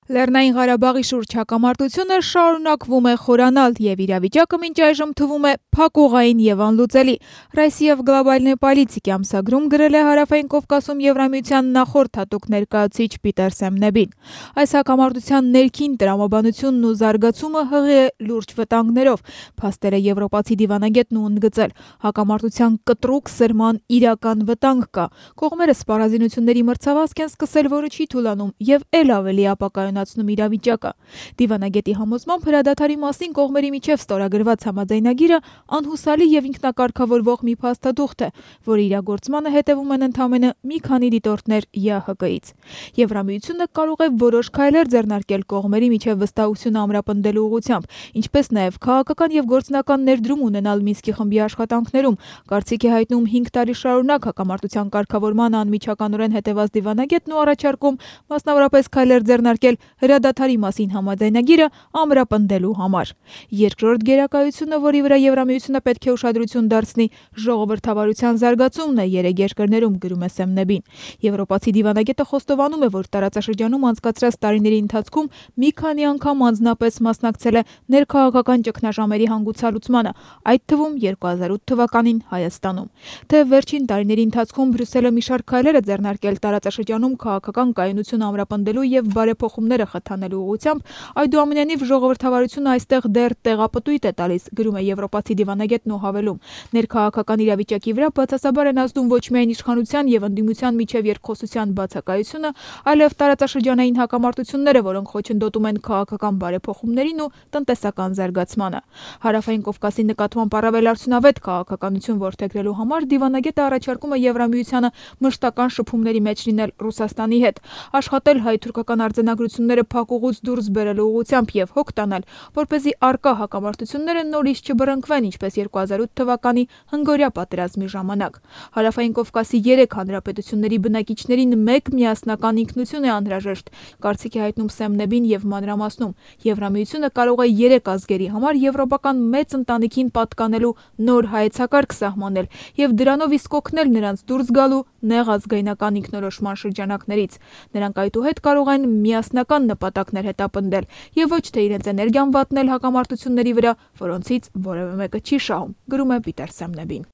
Լեռնային Ղարաբաղի շուրջ հակամարտությունը շարունակվում է խորանալ և իրավիճակը մինչ այժմ թվում է փակուղային և անլուծելի։ «Ռոսիա Գլոբալնի պոլիտիկի» ամսագրում գրել է Հարավային Կովկասում Եվրամիության նախորդ հատուկ ներկայացուցիչ Պիտեր Սեմնեբին։ Այս հակամարտության ներքին տրամաբանությունն ու զարգացումը հղի է լուրջ վտանգներով, փաստել է եվրոպացի դիվանագետն ու ընդգծել. հակամարտության կտրուկ սրման իրական վտանգ կա։ Կողմերը սպառազինությունների մրցավազք են սկսել, որը չի թուլանում և էլ ավելի ապակայունացնում իրավիճակը։ Դիվանագետի համոզմամբ հրադադարի մասին կողմերի միջև ստորագրված համաձայնագիրը անհուսալի և ինքնակարգավորվող մի փաստաթուղթ է, որի իրագործմանը հետևում են ընդամենը մի քանի դիտորդներ ԵԱՀԿ-ից։ Եվրամիությունը կարող է որոշ քայլեր ձեռնարկել կողմերի միջև վստահությունը ամրապնդելու ուղղությամբ, ինչպես նաև քաղաքական և գործնական ներդրում ունենալ Մինսկի խմբի աշխատանքներում, կարծիք է հայտնում 5 տարի շարունակ հակամարտության կարգավորմանը անմիջականորեն հետևած դիվանագետն ու առաջարկում մասնավորապես քայլեր ձեռնարկել հրադադարի մասին համաձայնագիրը ամրապնդելու համար։ Երկրորդ գերակայությունը, որի վրա Եվրամիությունը պետք է ուշադրություն դարձնի, ժողովրդավարության զարգացումն է երեք երկրներում, գրում է Սեմնեբին։ Եվրոպացի դիվանագետը խոստովանում է, որ տարածաշրջանում անցկացրած տարիների ընթացքում մի քանի անգամ անձնապես մասնակցել է ներքաղաքական ճգնաժամերի հանգուցալուծմանը, այդ թվում 2008 թվականին Հայաստանում։ Թեև վերջին տարիների ընթացքում Բրյուսելը մի շարք քայլեր է ձեռնարկել տարածաշրջանում քաղաքական կայունությունը ամրապնդելու և բարեփոխումները խթանելու ուղղությամբ, այդուամենայնիվ ժողովրդավարությունը այստեղ դեռ տեղապտույտ է տալիս, գրում է եվրոպացի դիվանագետն ու հավելում. ներքաղաքական իրավիճակի վրա բացասաբար են ազդում ոչ միայն իշխանության և ընդդիմության միջև երկխոսության բացակայությունը, այլև տարածաշրջանային հակամարտությունները, որոնք խոչընդոտում են քաղաքական բարեփոխումներին ու տնտեսական զարգացմանը։ Հարավային Կովկասի նկատմամբ առավել արդյունավետ քաղաքականություն որդեգրելու համար դիվանագետը առաջարկում է Եվրամիությանը մշտական շփումների մեջ լինել Ռուսաստանի հետ, աշխատել հայ-թուրքական արձանագրությունները փակուղուց դուրս բերելու ուղղությամբ և հոգ տանել, որպեսզի առկա հակամարտությունները նորից չբռնկվեն, ինչպես 2008 թվականի հնգօրյա պատերազմի ժամանակ։ Հարավային Կովկասի 3 հանրապետությունների բնակիչներին մեկ միասնական ինքնություն է անհրաժեշտ, կարծիք է հայտնում Սեմնեբին և մանրամասնում. Եվրամիությունը կարող է 3 ազգերի համար եվրոպական մեծ ընտանիքին պատկանելու նոր հայեցակարգ սահմանել և դրանով իսկ օգնել նրանց դուրս գալու նեղ ազգայնական ինքնորոշման շրջանակներից։ Նրանք այդուհետ կարող են միասնական նպատակներ հետապնդել և ոչ թե իրենց էներգիան վատնել հակամարտությունների վրա, որոնցից որևէ մեկը չի շահում, գրում է Պիտեր Սեմնեբին։